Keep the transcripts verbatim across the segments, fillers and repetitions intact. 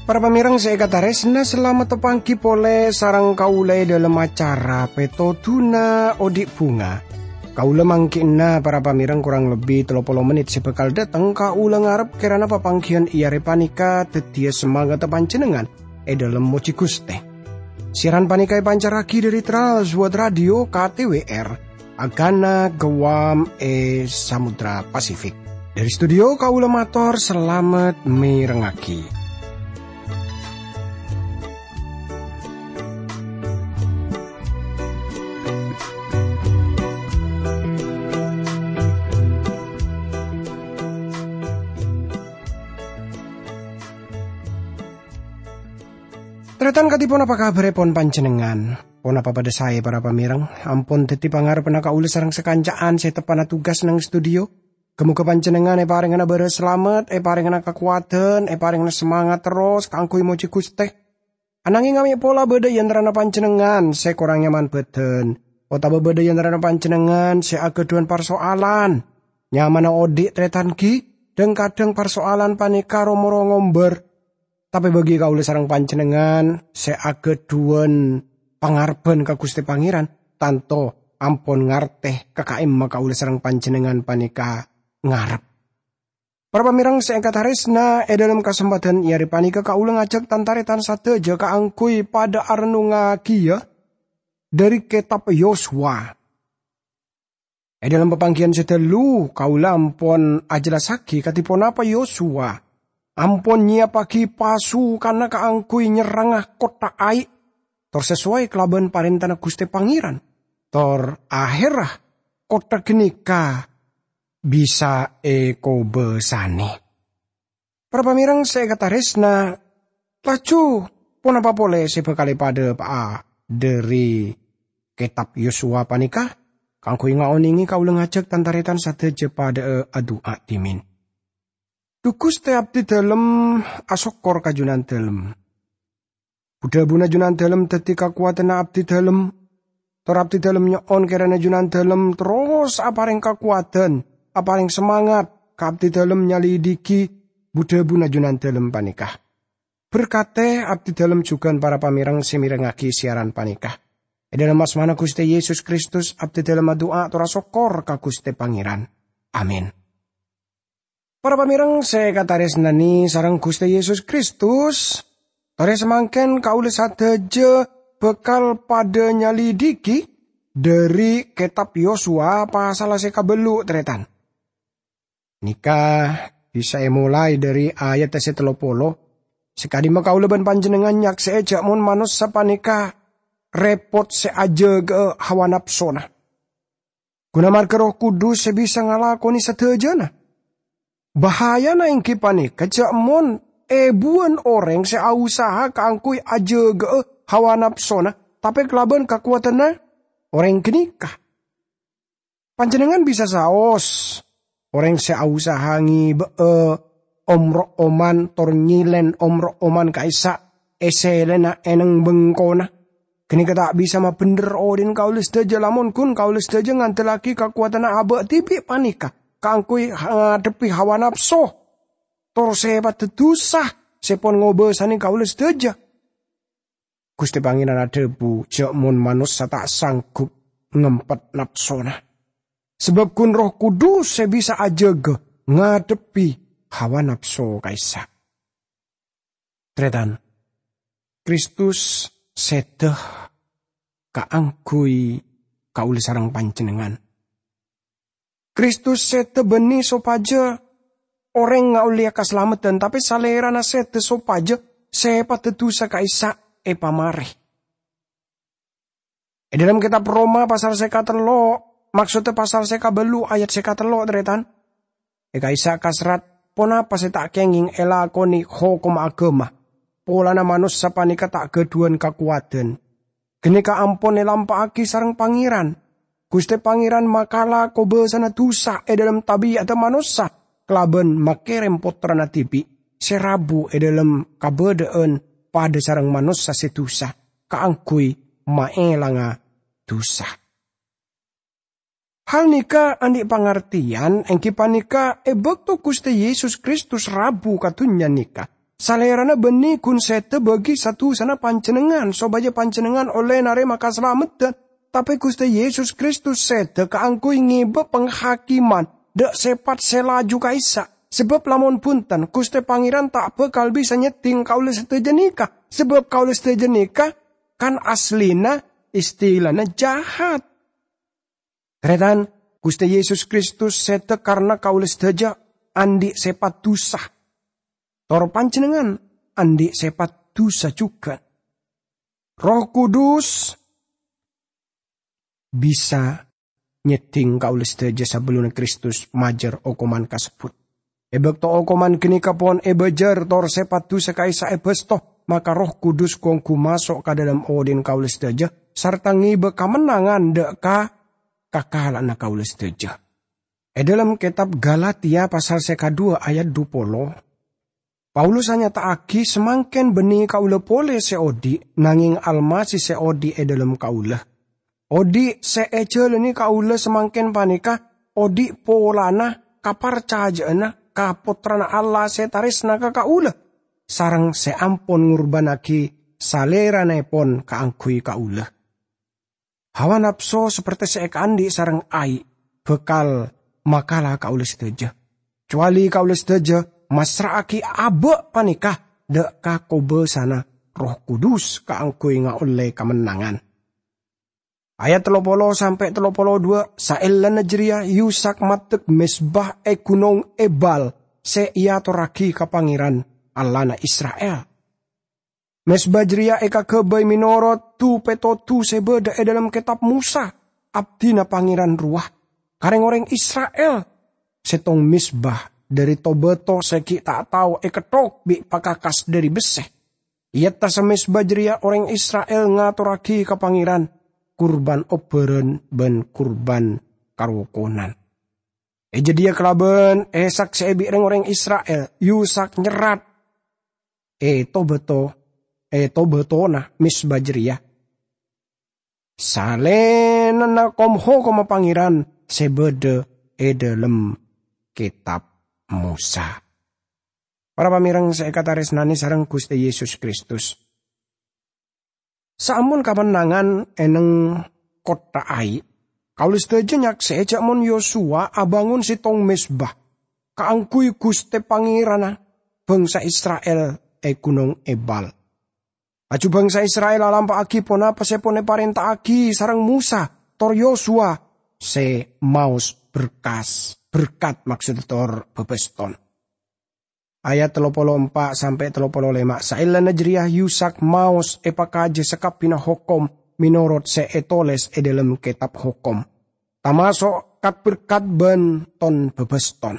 Para pamèrèng sè èkatarèsna, salamet tapangghi polè sareng kaulâ è dhâlem acara Pètodhuna Odi' Bhunga. Kaulâ mangkèna, para pamèrèng, korang lebbi tello polo mennit sè bhâkal dâteng, kaulâ ngarep kèrana papangghiyân è arè panèka dhâddhiyâ samangatta panjhennengngan è dhâlem mojhi Ghustè. Siaran panèka èpancarraghi dhâri Trans World Radio K T W R, Agana Guam è Samudra Pasifik. Dhâri studio kaulâ mator salamet mèrengngaghi. Tarètan, kadhi ponapa kabhârèpon panjhennengngan? Ponapa padâ saè, para pamèrèng? Ampon dhâddhi pangarebbhânna kaulâ sareng sakanca'an sè teppa'na tugas neng studio. Ghâ-moghâ panjhennengngan èparèngana bârâs salamet, èparèngana kakowadhân, èparèngana samangat terros kaangghuy mojhi Ghustè. Anangèng amè' pola bâdâ è antarana panjhennengngan sè korang nyaman bhâdhân, otabâ bâdâ è antarana panjhennengngan sè aghâdhuwân parsoalan. Nyamana odi', tarètan, ghi, dhâng-kadhâng parsoalan panèka ro-moro ngombâr. Tapè bagi kaulâ sareng panjhennengngan sè aghâdhuwân pangarebbhân ka Ghustè Pangèran, tanto ampon ngartè ka ka'imma kaulâ sareng panjhennengngan panèka ngarep. Para pamèrèng sè èkatarèsna, è dhâlem kasempadhân è arè panèka kaulâ ngajhâk tan-tarètan sadhâjâ kaangghuy padâ arennongngaghiyâ dhâri Kètab Yosua. È dhâlem papangghiyân sè ghâllu, kaulâ ampon ajhellassaghi kadhi ponapa Yosua ampon nyèyappaghi pasukanna kaangghuy nyerranga kottha Ai, tor sasoway kalabân parèntana Ghustè Pangèran, tor ahèrra kottha ghânèka bisa èkobâsane. Para pamèrèng sè èkatarèsna, laju ponapa polè sè bhâkal èpadhâpa'a dhâri Kètab Yosua panèka? Kaangghuy ngaonèngè kaulâ ngajhâk tan-tarètan sadhâjâ padhâ'â adu'a dhimèn. Dhu Ghustè, abdhidhâlem asokkor ka Jhunandhâlem. Bu-dhâbuna Jhunandhâlem dhâddhi kakowadhânna abdhidhâlem. Tor abdhidhâlem nyo'on kèrana Jhunandhâlem terros aparèng kakowadhân, aparèng samangat ka abdhidhâlem nyalidhighi bu-dhâbuna Jhunandhâlem panèka. Berkadhi abdhidhâlem jhughân para pamèrèng sè mèrengngaghi siaran panèka. È dhâlem asmana Ghustè Yesus Kristus, abdhidhâlem adu'a tor asokkor ka Ghustè Pangèran. Amin. Para pamèrèng sè èkatarèsnanè sareng Ghustè Yesus Kristus, torè samangkèn kaulâ sadhâjâ bhâkal padhâ nyalidhighi dhâri Kètab Yosua pasalla sè kabâllu', tarètan. Nèka bisa èmolaè dhâri ayat sè tello polo, sè ka'dimma kaulâ bân panjhennengngan nyaksè'è jhâ' mon manossa panèka rèpot sè ajâgâ'â hawa napsona. Ghuna marghâ Erroh Kudus sè bisa ngalakonè sadhâjâna. Bahayana èngghi panèka jhâ' mon èbuwân orèng sè ausaha kaangghuy ajâgâ'â hawa napsona, tapè kalabân kakowadhânna orèng ghânèka. Panjhennengngan bisa saos, orèng sè ausaha ngèbâ'â om-ro'oman tor nyèlèn om-ro'oman ka'issa' è sèlèna èneng bengkona. Ghânèka ta' bisa mabhendher odhi'na kaulâ sadhâjâ, lamon ghun kaulâ sadhâjâ ngandellaghi kakowadhânna abâ' dhibi' panèka kaangghuy ngadhebbhi hawa napso, tor sèpaddhâ dhusa sè pon ngobâsanè kaulâ sadhâjâ. Ghustè Pangèran adhâbu, jhâ' mon manossa ta' sanggup ngempet napsona. Sabâb ghun Erroh Kudus sè bisa ajâgâ ngadhebbhi hawa napso ka'issa'. Tarètan, Kristus sèdhâ kaangghuy kaulâ sareng panjhennengngan. Kristus sèdhâ bânnè sopajâ orèng ngaollèya kasalameddhân, tapè Salèrana sèdhâ sopajâ sèpaddhâ dhusa ka'issa' èpamarè. È dhâlem kètab Roma pasal sè katello', maksoddhâ pasal sè kabâllu' ayat sè katello', tarètan. È ka'issa' kaserrat, ponapa sè ta' kèngèng èlakonè hokomma aghâma, polana manossa panèka ta' ghâdhuwân kakowadhân. Ghânèka ampon èlampa'aghi sareng Pangèran. Ghustè Pangèran makala kobâsana dhusa è dhâlem tabi'adda manossa kalabân makèrèm Pottrana dhibi' sè rabu è dhâlem kabâdâ'ân padha sareng manossa se dusa, kaangguy maelanga dusa. Hal nèka andhi' pangartèyan, èngghi panèka è bâkto Ghustè Yesus Kristus rabu ka dhunnya nèka, Salèrana bânnè ghun sèdhâ bâgi sa-dusana panjhennengngan, sopajâ panjhennengngan ollè narèma kasalameddhân. Tapè Ghustè Yesus Kristus sèdhâ kaangghuy ngèbâ panghakiman dâ' sèpat sè laju ka'issa', sabâb lamon bhunten, Ghustè Pangèran ta' bhâkal bisa nyèddhing kaulâ sadhâjâ nèka, sabâb kaulâ sadhâjâ nèka kan asllina istilana jahat. Tarètan, Ghustè Yesus Kristus sèdhâ karna kaulâ sadhâjâ andhi' sèpat dusa. Tor panjhennengngan andhi' sèpat dusa jhughân. Erroh Kudus bisa nyèddhing kaulâ sadhâjâ sabellunna Kristus majâr okoman kasebbhut. È bâkto okoman ghânèka pon èbâjâr tor sèpat dusa ka'issa' èbâsto, maka Erroh Kudus ghun ongghu maso' ka dâlem odhi'na kaulâ sadhâjâ sarta ngèbâ kamennangan dâ' ka kakala'anna kaulâ sadhâjâ. È dâlem kètab Galatia pasal sè kaduwâ ayat dhu polo, Paulus anyata'aghi, "Samangkèn bânnè kaulâ polè sè odhi', nangèng Almasih sè odhi' è dâlem kaulâ." Odhi' sè èjhâlâni kaulâ samangkèn panèka odhi' polana kaparcajâ'ânna ka Pottrana Allah sè tarèsna ka kaulâ, sareng sè ampon ngorbhânnaghi Salèranèpon kaangghuy kaulâ. Hawa napso saperte sè èkaandhi' sareng ai' bhâkal makala kaulâ sadhâjâ, cowali kaulâ sadhâjâ massra'aghi abâ' panèka dâ' ka kobâsana Erroh Kudus kaangghuy ngaollè kamennangan. Ayat tello polo sampè' tello polo duwâ', saellana jârèya Yusak maddek mezba è Ghunong Ebal sè èatorraghi ka Pangèran, Allahna Isra'il. Mezba jârèya èkaghâbây mènorot du-pètodhu sè bâdâ è dâlem Kètab Mosa, abdhina Pangèran rowa, ka rèng-orèng Isra'il. Sèttong mezba dâri to-bâto sè ghi' ta' tao èketthok bi' pakakas dâri bessè. È attassa mezba jârèya orèng Isra'il ngatorraghi ka Pangèran kurban obbhârân bân kurban karokonan. È jâdiyâ kalabân èsaksè'è bi' rèng-orèng Isra'il, Yusak nyerrat è to-bâto, è to-bâtona mezba jârèya, salènana kom-hokomma Pangèran sè bâdâ è dâlem Kètab Mosa. Para pamèreng sè èkatarèsnanè sareng Ghustè Yesus Kristus. Saampon kamennangan è neng kottha Ai, kaulâ sadhâjâ nyaksè'è jâ' mon Yosuwa abângon sèttong mezba kaangghuy Ghustè Pangèranna bhângsa Isra'il è Ghunong Ebal. Laju bhângsa Isra'il alampa'aghi ponapa sè pon èparènta'aghi sareng Mosa tor Yosuwa sè maos berkas, berkat maksodda tor bâbâston. Ayat tello polo empa' sampè' tello polo lèma', saellana jârèya Yusak maos èpakajâ sakabbhiyânna hokom mènorot sè ètolès è dâlem Kètab Hokom, tamaso' kat-berkat bân ton-bâbâston.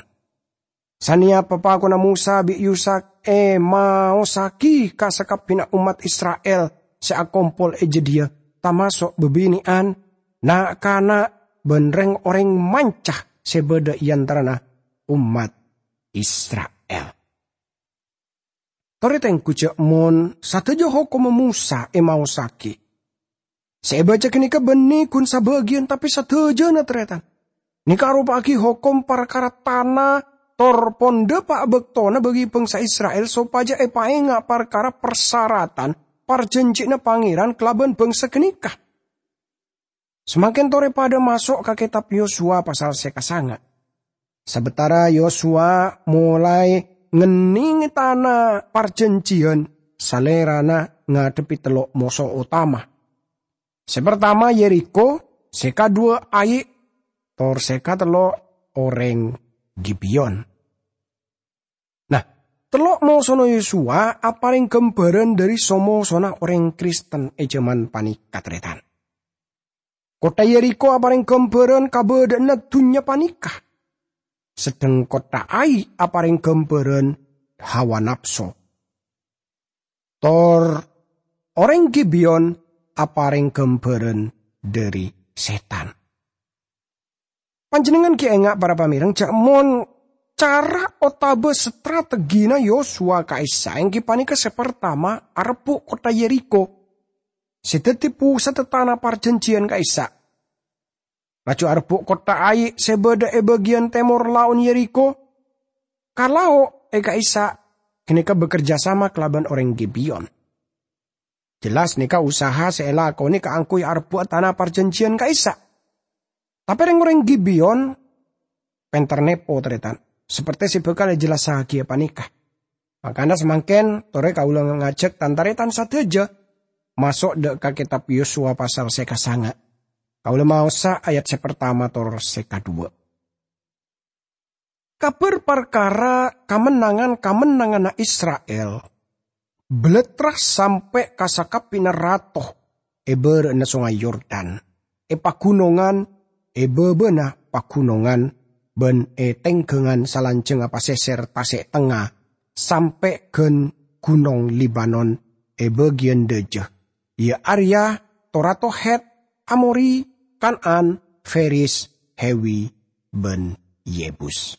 Sanèya papakonna Mosa bi' Yusak èmaosaghi ka sakabbhiyânna ommat Isra'il sè akompol è jâdiyâ, tamaso' bâbinè'an, na'-kana', bân rèng-orèng manca sè bâdâ è antarana ommat Isra'il. Torè tengghu jâ' mon sadhâjâ hokomma Mosa èmaosaghi. Sè èbâca ghânèka bânnè ghun sabâgiyân, tapè sadhâjâna, tarètan. Nèka aropa'aghi hokom parkara tana tor pondhâpa' bâktona bagi bhângsa Isra'il sopajâ èpaènga' parkara parsaratan parjhânjhiyânna Pangèran kalabân bhângsa ghânèka. Samangkèn torè padâ maso' ka Kètab Yosuwa pasal sè kasanga'. Sabâtara Yosuwa molaè ngennengngè tana parjhânjhiyân, Salèrana ngadhebbhi tello' moso otama. Sè partama Yerikho, sè kaduwâ Ai, tor sè katello' orèng Gibeyon. Nah, tello' mosona Yosuwa aparèng ghâmbhârân dâri so-mosona orèng Kristen è jhâman panèka, tarètan. Kottha Yerikho aparèng ghâmbhârân kabâdâ'ânna dhunnya panèka, sedheng kottha Ai aparèng ghâmbhârân hawa napso. Tor orèng Gibeyon aparèng ghâmbhârân dâri sètan. Panjhennengngan ghi' enga', para pamèreng, jâ' mon Cara otabâ strategina Yosua ka'issa' èngghi panèka sè partama arebbhu' kottha Yerikho, sè dhâddhi pusatdhâ tana parjhânjhiyân ka'issa'. Laju arebbhu' kottha Ai sè bâdâ è bâgiyân tèmor laon Yerikho, ka lao' è ka'issa', ghânèka bekerja sama kalabân orèng Gibeon. Jelas nèka usaha sè èlakonè kaangghuy arebbhu'a tana parjhânjhiyân ka'issa'. Tapè rèng-orèng Gibeon pènter nèpo, tarètan, saperte sè bhâkal èjellassaghi panèka. Mangkana samangkèn torè kaulâ ngajhâk tan-tarètan sadhâjâ maso' dâ' ka Kètab Yosua pasal sè kasanga'. Kaulâ maosa ayat sè partama tor sè kadhuwâ'. Kabhâr parkara kamennangan-kamennanganna Isra'il balattra sampè' ka sakabbhina rato è bârâ'na Songay Yordan, è paghunongan, è bâbâna paghunongan, bân è tèngghângan salanjhângnga pasèsèr tasè' tengnga, sampè' ghân Ghunong Libanon è bâgiyân dâjâ, iyâ arèya to-rato Hèt, Amori, Kan'an, Feris, Hewi, bân Yebus.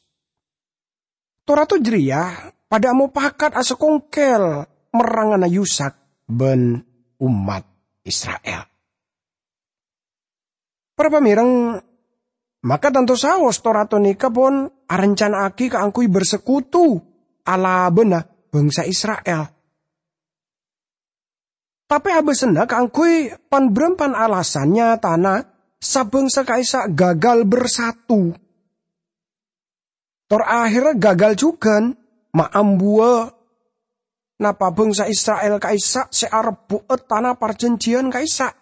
To-rato jârèya padâ amopakat asakongkèl merrangana Yusak bân ommat Isra'il. Para pamèreng, maka tanto saos to-rato nèka pon arancana'aghi kaangghuy bersekutu alabâna bangsa Isra'il. Tapè abâsânna kaangghuy pan-bârâmpan alasan nyatana sabângsa ka'issa' gagal bersatu. Tor aherra gagal jhughân, ma' ambuwâ napa bangsa Isra'il ka'issa' sè arebbhu'a tana parjhânjhiyân ka'issa'.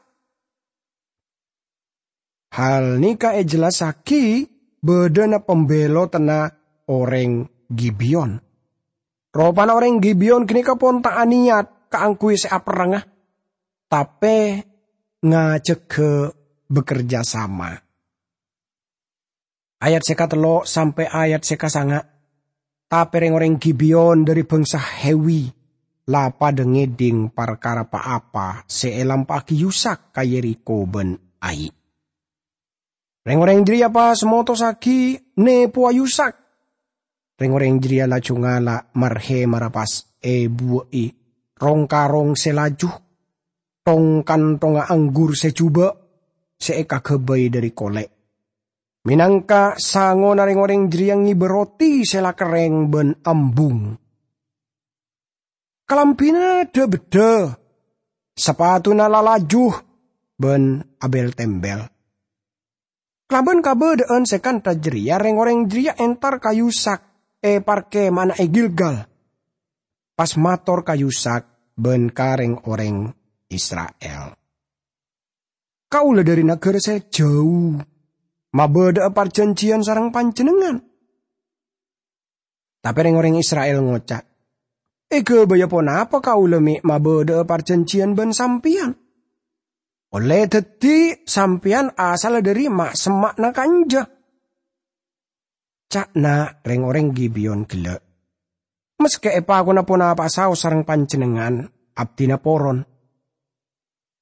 Hal nèka èjellassaghi bâdâna pambellotanna orèng Gibeon. Ropana orèng Gibeon ghânèka pon ta' anèyat kaangghuy sè aperrangnga, tapè ngajhâghâ bekerja sama. Ayat sè katello' sampè' ayat sè kasanga'. Tapè rèng-orèng Gibeon dhâri bangsa Hewi la padâ ngèdhing parkara pa-apa sè èlampa'aghi Yusak ka Yerikho bân Ai. Rèng-orèng jârèya pas motossaghi nèpowa Yusak. Rèng-orèng jârèya laju ngala' mar-hèmarra pas èbuwâ'i rong-karong sè laju, thong-kanthongnga anggur sè jhubâ' sè èkaghâbây dhâri kolè'. Mènangka sangona rèng-orèng jârèya ngibâ roti sè la kerrèng bân ambung. Kalambhina dhâ-bheddhâ, sapatuna la laju, bân abel-tembel. Kalabân kabâdâ'ân sè kantha jârèya, rèng-orèng jârèya entar ka Yusak è parkema'anna è Gilgal, pas mator ka Yusak bân ka rèng-orèng Isra'il, "Kaulâ dhâri naghârâ sè jhâu, mabâdâ'â parjhânjhiyân sareng panjhennengngan." Tapè rèng-orèng Isra'il ngoca', "Èghâbâyâ ponapa kaulâ mè' mabâdâ'â parjhânjhiyân bân sampèyan? Ollè dhâddhi sampèyan asalla dhâri ma'-semma'na kanja." Ca'na rèng-orèng Gibeon ghellâ', "Maskè èpakona ponapa'a saos sareng panjhennengngan, abdhina poron.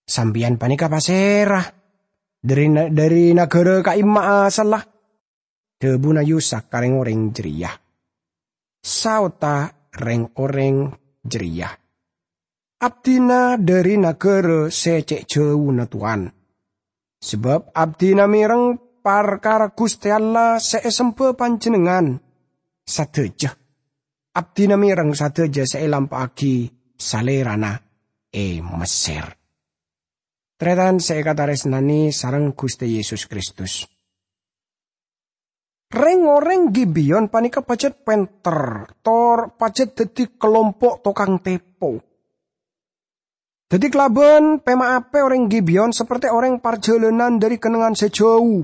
Sampèyan panèka pasèra? Dhâri na-, dhâri naghârâ ka'imma asalla?" Dhâbuna Yusak ka rèng-orèng jârèya. Saodhâ rèng-orèng jârèya, "Abdhina dhâri naghârâ sè cè' jhâuna, Towan. Sabâb abdhina mèreng parkara Ghustè Allah sè èsemba panjhennengngan sadhâjâ. Abdhina mèreng sadhâjâ sè èlampa'aghi Salèrana è Messèr." Tarètan sè èkatarèsnanè sareng Ghustè Yesus Kristus. Rèng-orèng Gibeon panèka pajhât pènter, tor pajhât dhâddhi kalompo' tokang tèpo. Dhâddhi kalabân pèma'a pè orèng Gibeon saperte orèng parjhâlânan dhâri kennengngan sè jhâu.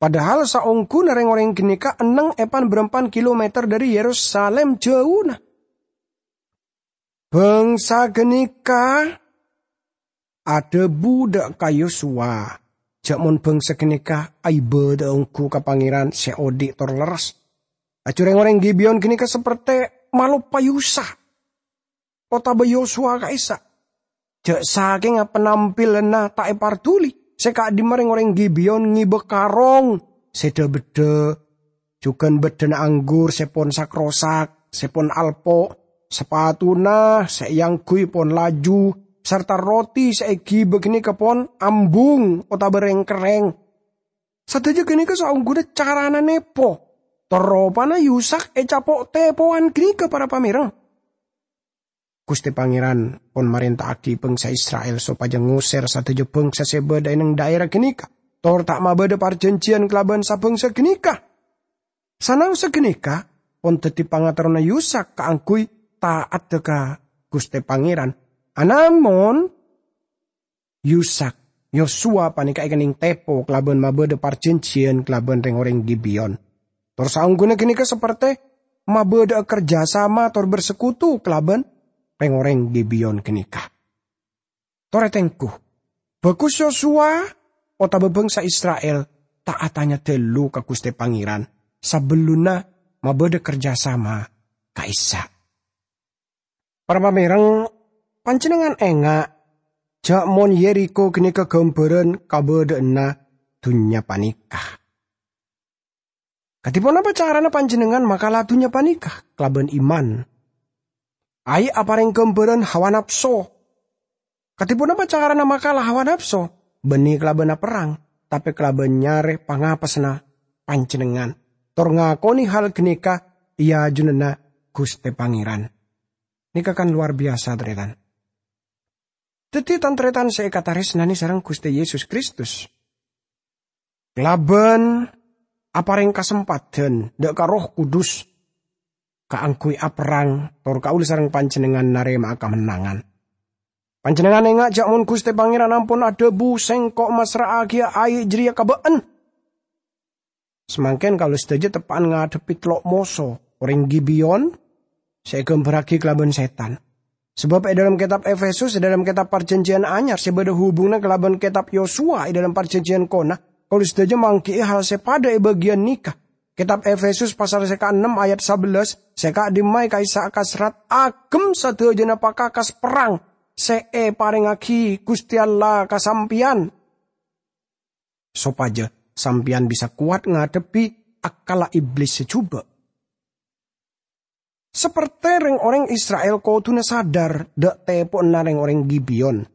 Padahal saongghuna rèng-orèng ghânèka enneng è pan-bârâmpan kilometer dhâri Yerusalim jhâuna. Bangsa ghânèka adhâbu dâ' ka Yosua, "Jhâ' mon bangsa ghânèka aibâdâ'â ongghu ka Pangèran sè odi' tor lerres." Laju rèng-orèng Gibeon ghânèka saperte maloppa Yusak otabâ Yosua ka'issa'. Jhâ' sakènga penampilanna ta' èparduli, sè ka'dimma rèng-orèng Gibeon ngibâ karong sè dhâ-bheddhâ jhughân bâddhâna anggur sè pon sak-rosak, sè pon alpo', sapatuna sè èangghuy pon laju, sarta roti sè èghibâ ghânèka pon ambung otabâ rèng-kerrèng. Sadhâjâ ghânèka saongghuna carana nèpo, tor ropana Yusak ècapo' tèpowan ghânèka, para pamèreng. Ghustè Pangèran pon marènta'aghi bhângsa Isra'il sopajâ ngosèr sadhâjâ bhângsa sè bâdâ è neng dhaèra ghânèka, tor ta' mabâdâ parjhânjhiyân kalabân sa-bhângsa ghânèka. Sanaossa ghânèka pon dhâddhi pangaterrona Yusak kaangghuy ta'atta ka Ghustè Pangèran. Anamon, Yusak, Yosuwa panèka èkennèng tèpo kalabân mabâdâ parjhânjhiyân kalabân rèng-orèng Gibeyon. Tor saongghuna ghânèka saperte mabâdâ'â kerjasama tor bersekutu kalabân rèng-orèng Gibeyon ghânèka. Tor ètengghu, bhâghus Yosuwa otabâ bhângsa Isra'il ta' atanya dhâllu ka Ghustè Pangèran sabellunna mabâdâ kerjasama ka'issa'. Para pamèreng, panjhennengngan enga' jhâ' mon Yerikho ghânèka ghâmbhârân kabâdâ'ânna dhunnya panèka. Kadhi ponapa carana panjhennengngan makala dhunnya panèka? Kalabân iman. Ai' aparèng ghâmbhârân hawa napso. Kadhi ponapa carana makala hawa napso? Bânnè kalabân aperrang, tapè kalabân nyarè pangapèsanna panjhennengngan. Tor ngakonè hal ghânèka è ajunanna Ghustè Pangèran. Nèka kan lowar biyasa, tarètan. Dhâddhi, tan-tarètan sè èkatarèsnanè sareng Ghustè Yesus Kristus, kalabân aparèng kasempadhân dâ' ka Erroh Kudus kaangghuy aperrang, tor kaulâ sareng panjhennengngan narèma'a kamennangan. Panjhennengngan enga' jhâ' mon Ghustè Pangèran ampon adhâbu, "Sèngko' massra'aghiyâ ai' jârèya ka bâ'na." Samangkèn kaulâ sadhâjâ teppa'an ngadhebbhi tello' moso, orèng Gibeyon sè èghâmbhârraghi kalabân sètan. Sabâb è dhâlem kètab Efesus, è dhâlem kètab Parjhânjhiyân Anyar sè bâdâ hubunganna kalabân kètab Yosuwa è dhâlem Parjhânjhiyân Kona, kaulâ sadhâjâ mangghi'i hal sè padâ è bâgiyân nèka. Kètab Efesus pasal sè kaennem ayat sabellâs, sè ka'dimma è ka'issa' kasrat, "Agem sadhâjâna pakakas perrang sè èparèngaghi Ghustè Allah ka sampèyan." Sopajâ sampèyan bisa kowat ngadhebbhi akkalla Iblis sè jhubâ'. Saperte rèng-orèng Isra'il kodhuna sadhâr dâ' tèpowanna rèng-orèng Gibeyon.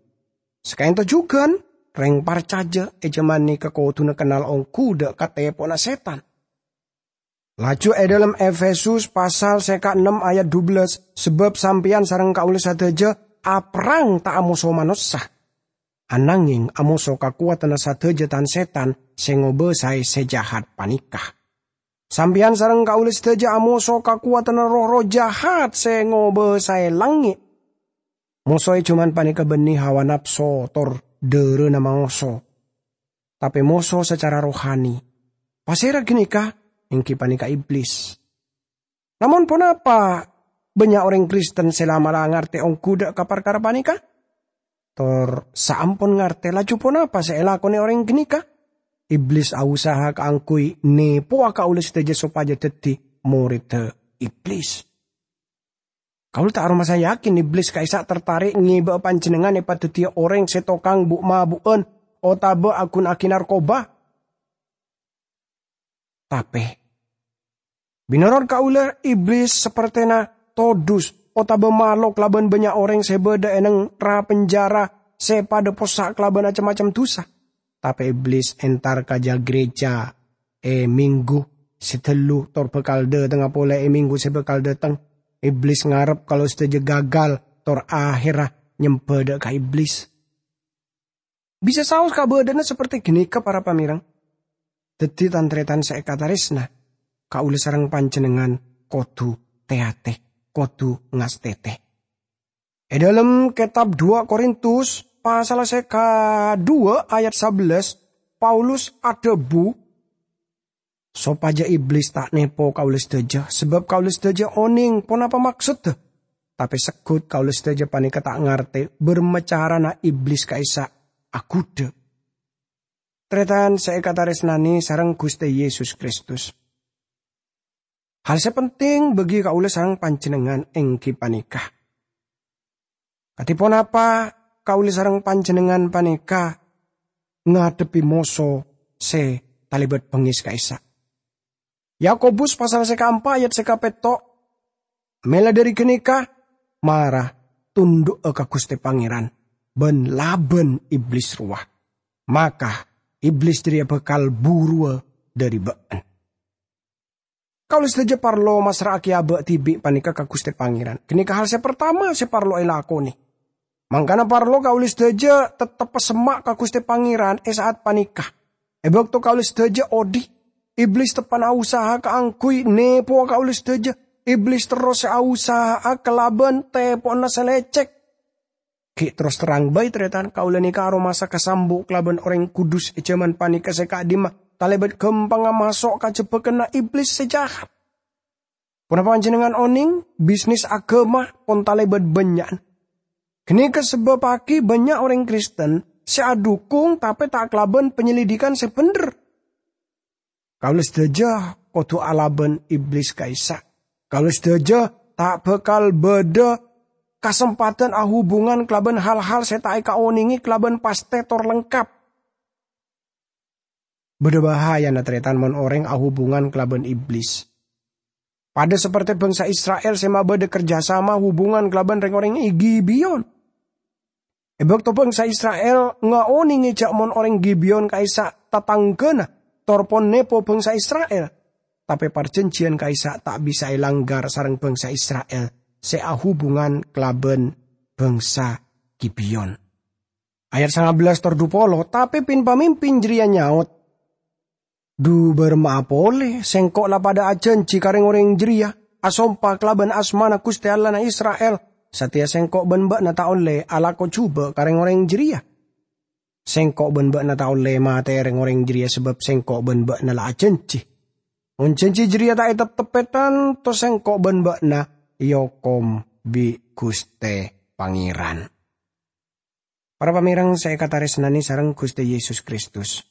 Sakaènto jhughân, rèng parcajâ è jhâman nèka kodhuna kennal ongghu dâ' ka tèpowanna sètan. Laju è dhâlem Efesus pasal sè kaennem ayat dubellâs, "Sabâb sampèyan sareng kaulâ sadhâjâ aperrang ta' amoso manossa, ananghèng amoso kakowadhânna sadhâjâ tan-sètan sè ngobâsaè sè jahat panèka." Sampèyan sareng kaulâ sadhâjâ amoso kakowadhânna roh-erroh jahat sè ngobâsaè langngè'. Moso è jhâman panèka bânnè hawa napso tor dhârâna maoso. Tapè moso sacara rohani. Pasèra ghânèka? Èngghi panèka Iblis. Namong ponapa bânnya' orèng Kristen sè la'-mala' ngartè ongghu dâ' ka parkara panèka? Tor saampon ngartè, laju ponapa sè èlakonè orèng ghânèka? Iblis ausaha kaangghuy nèpowa kaulâ sadhâjâ sopajâ dhâddhi morèdda Iblis. Kaulâ ta' aromasa yakin Iblis ka'issa' tartarè' ngèbâ'â panjhennengngan èpadhâddhiyâ orèng sè tokang bu'-mabu'ân otabâ aghuna'aghi narkoba. Tapè, mènorot kaulâ, Iblis sapertèna todus otabâ malo kalabân bânnya' orèng sè bâdâ è neng ra-penjara sè padâ possa' kalabân cem-macem dusa. Tapè Iblis entar ka jâ-, gereja è minggu sè ghâllu tor bhâkal dâtengnga polè è minggu sè bhâkal dâteng. Iblis ngarep kaulâ sadhâjâ gagal tor ahèrra nyembhâ dâ' ka Iblis. Bisa saos kabâdâ'ânna saperte ghânèka, para pamèreng. Dhâddhi, tan-tarètan sè èkatarèsna, kaulâ sareng panjhennengngan kodhu tè-atè, kodhu ngastètè. È dhâlem kètab dua Korintus, pasal sè kadhuwâ' ayat sabellâs, Paulus adhâbu, sopajâ Iblis ta' nèpo kaulâ sadhâjâ, sabâb kaulâ sadhâjâ onèng ponapa maksodda. Tapè segghut kaulâ sadhâjâ panèka ta' ngartè bârâmma carana Iblis ka'issa' aghudhâ. Tarètan sè èkatarèsnanè sareng Ghustè Yesus Kristus. Hal sè penting bagi kaulâ sareng panjhennengngan èngghi panèka, kadhi ponapa kaulâ sareng panjhennengngan panèka ngadhebbhi moso sè talèbât bengngès ka'issa'. Yakobus pasal sè kaempa' ayat sè kapètto', "Mèla dhâri ghânèka, mara tundhu'â ka Ghustè Pangèran, bân labân Iblis rowa, maka Iblis jârèya bhâkal buruwâ dhâri bâ'na." Kaulâ sadhâjâ parlo massra'aghi abâ' dhibi' panèka ka Ghustè Pangèran. Ghânèka hal sè partama sè parlo èlakonè. Mangkana parlo kaulâ sadhâjâ tettep pasemma' ka Ghustè Pangèran è sa'at panèka. È bâkto kaulâ sadhâjâ odi', Iblis teppa'na usaha kaangghuy nèpowa kaulâ sadhâjâ. Iblis terros sè ausaha'a kalabân tèpo'na sè lècèk. Ghi' terros terrang bhâi, tarètan, kaulâ nèka aromasa kasambu' kalabân orèng kudus è jhâman panèka sè ka'dimma talèbât ghâmpangnga maso' ka jhebbhâgghânna Iblis sè jahat. Ponapa panjhennengngan onèng, bisnis aghâma pon talèbât bânnya'an? Ghânèka sabâbbhâghi bânnya' orèng Kristen sè adhukung tapè ta' kalabân panyelidikan sè bhendher. Kaulâ sadhâjâ kodhu alabân Iblis ka'issa'. Kaulâ sadhâjâ ta' bhâkal bâdâ kasempadhân ahubungan kalabân hal-hal sè ta' èkaonèngè kalabân pastè tor lengkap. Bâdâ bahayana, tarètan, mon orèng ahubungan kalabân Iblis. Padâ sapertè bangsa Isra'il sè mabâdâ kerjasama hubungan kalabân rèng-orèng è Gibeon. È bâkto bangsa Isra'il ngaonèngè jhâ' mon orèng Gibeon ka'issa' tatangghâna tor pon nèpo bangsa Isra'il, tapè parjhânjhiyân ka'issa' ta' bisa èlanggar sareng bangsa Isra'il sè ahubungan kalabân bangsa Gibeon. Ayat sangabellâs tor dupolo, tapè pin-pamimpin jârèya nyaot, "Dhu bârâmma'a polè? Sèngko' la padâ ajhânjhi ka rèng-orèng jârèya, asompa kalabân asmana Ghustè Allahna Isra'il, satèya sèngko' bân bâ'na ta' ollè alako jhubâ' ka rèng-orèng jârèya. Sèngko' bân bâ'na ta' ollè matè'è rèng-orèng jârèya sabâb sèngko' bân bâ'na la ajhânjhi. Mon jhânjhi jârèya ta' ètepteppè, tanto sèngko' bân bâ'na èokom bi' Ghustè Pangèran." Para pamèreng sè èkatarèsnanè sareng Ghustè Yesus Kristus,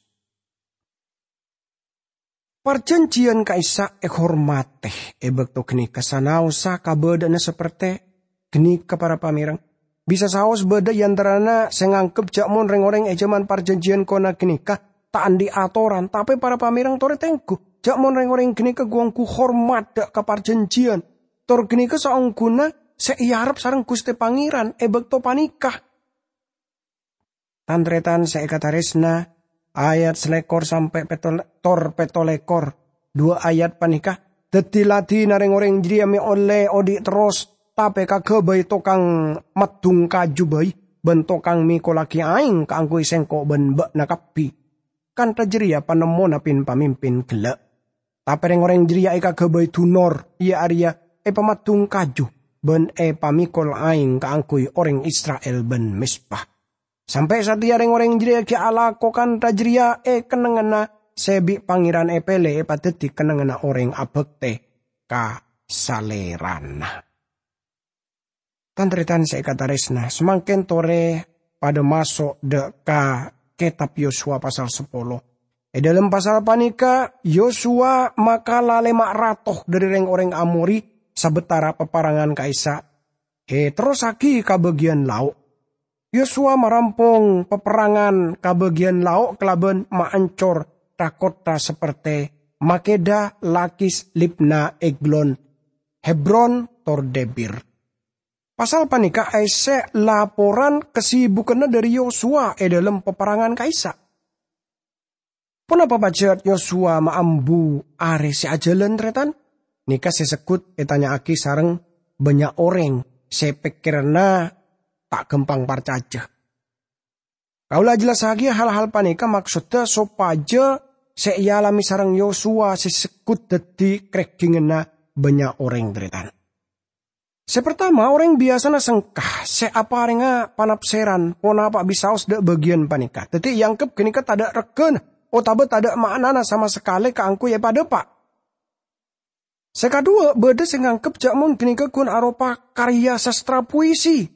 parjhânjhiyân ka'issa' èhormatè è bâkto ghânèka sanaossa kabâdâ'ânna sapertè ghânèka, para pamèreng. Bisa saos bâdâ è antarana sè nganggep jhâ' mon rèng-orèng è jhâman parjhânjhiyân kona ghânèka ta' andi' atoran, tapè para pamèreng torè tengghu jhâ' mon rèng-orèng ghânèka ghu-ongghu hormat dâ' ka parjhânjhiyân. Tor ghânèka saongghuna sè èarep sareng Ghustè Pangèran è bâkto panèka. Tan-tarètan sè èkatarèsna, ayat salèkor sampè' pètto-, tor pètto lèkor, duwâ' ayat panèka dhâddhi ladhinna rèng-orèng jârèya mè' ollè odi' terros, tapè kaghâbây tokang maddhung kaju bhâi bân tokang mèkollaghi aèng kaangghuy sèngko' bân bâ'na kabbhi. Kantha jârèya panemmona pin-pamimpin ghellâ'. Tapè rèng-orèng jârèya èkaghâbây dunor, iyâ arèya èpamaddhung kaju bân èpamèkol aèng kaangghuy orèng Isra'il bân mezba. Sampè' satèya rèng-orèng jârèya ghi' alako kantha jârèya è kennengnganna sè bi' Pangèran èpèlè èpadhâddhi kennengnganna orèng abhâktè ka Salèrana. Tan-tarètan sè èkatarèsna, samangkèn torè padâ maso' dâ' ka Kètab Yosua pasal sapolo. È dâlem pasal panèka, Yosua makala lèma' rato dhâri rèng-orèng Amori sabâtara paparangan ka'issa' èterrossaghi ka bâgiyân lao'. Yosua marampong paparangan ka bâgiyân lao' kalabân maancor tha-kottha sapertè Makeda, Lakis, Libna, Eglon, Hebron, tor Debir. Pasal panèka aèssè laporan kasibukânna dhâri Yosua è dâlem paparangan ka'issa'. Ponapa pajhât Yosua maambu arè sè ajhâlân, tarètan? Nèka sè segghut ètanya'aghi sareng bânnya' orèng sè pèkkèranna ta' ghâmpang parcajâ. Kaulâ ajhellassaghiyâ hal-hal panèka maksodda sopajâ sè èalamè sareng Yosua sè segghut dhâddhi krègghingngânna bânnya' orèng, tarètan. Sè partama, orèng biyasana sengka sè aparènga panapsèran ponapa bisaos dâ' bâgiyân panèka. Dhâddhi, èangghep ghânèka tadâ' reggâna otabâ tadâ' ma'nana sama sakalè kaangghuy èpadâpa'. Sè kaduwâ', bâdâ sè nganggep jhâ' mon ghânèka ghun aropa karya sastra puisi.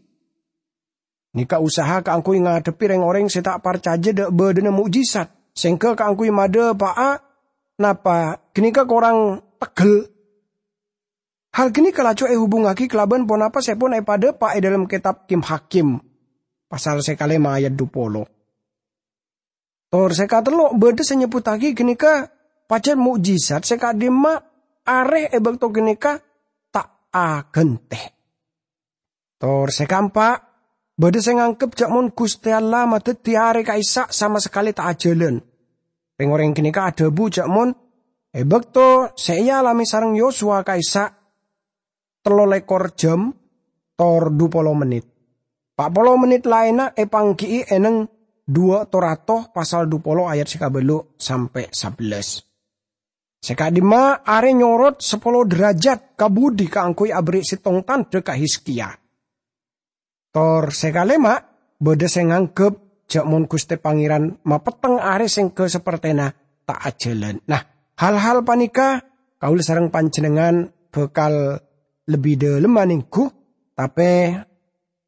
Nèka usaha kaangghuy ngadhebbhi rèng-orèng sè ta' parcajâ dâ' bâdâna mo'jizat, sèngghâ kaangghuy madâpa'a napa ghânèka korang teggel. Hal ghânèka laju èhubungngaghi kalabân ponapa sè pon èpadâpa' è dâlem kètab Kim-Hakim, pasal sè kalèma ayat dupolo. Tor sè katello', bâdâ sè nyebbhuttaghi ghânèka Pajhât mo'jizat sè ka'dimma arè è bâkto ghânèka ta' aghântè. Tor sè kaempa', bâdâ sè nganggep jhâ' mon Ghustè Allah madhâddhi arè ka'issa' sama sakalè ta' ajhâlân. Rèng-orèng ghânèka adhâbu jhâ' mon è bâkto sè èalamè sareng Yosua ka'issa' tello lèkor jam tor dhu polo mennit. Pa' polo mennit laènna èpangghi'i è neng Duwâ' Torato pasal dhu polo ayat sè kabâllu' sampè' sabellâs. Sè ka'dimma arè nyorot sapolo derajat ka budi kaangghuy aberri' sèttong tandhâ ka Hizkia. Tor sè kalèma', bâdâ sè nganggep jhâ' mon Ghustè Pangèran mapetteng arè sèngghâ sapertèna ta' ajhâlân. Nah, hal-hal panèka kaulâ sareng panjhennengngan bhâkal lebbi dhâlemma nèngghu, tapè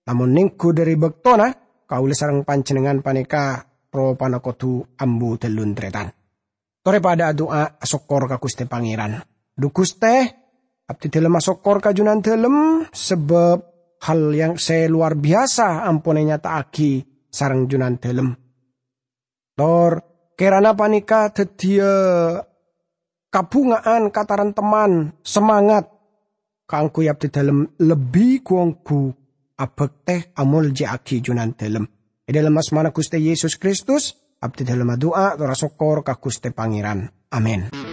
lamon nèngghu dhâri bâktona, kaulâ sareng panjhennengngan panèka ropana kodhu ambu dhâlun tarètan. Torè padâ adu'a asokkor ka Ghustè Pangèran. Dhu Ghustè, abdhi dhâlem asokkor ka Jhunandhâlem, sabâb hal yang sè lowar biyasa ampon ènyata'aghi sareng Jhunandhâlem. Tor kèrana panèka dhâddhiyâ kabhunga'an, kataremteman, samangat kaangghuy abdhi dhâlem lebbi gu-ongghu abhâktè amoljâ'aghi Jhunandhâlem. È dhâlem asmana Ghustè Yesus Kristus, abdhi dhâlem adu'a tor asokkor ka Ghustè Pangèran. Amin.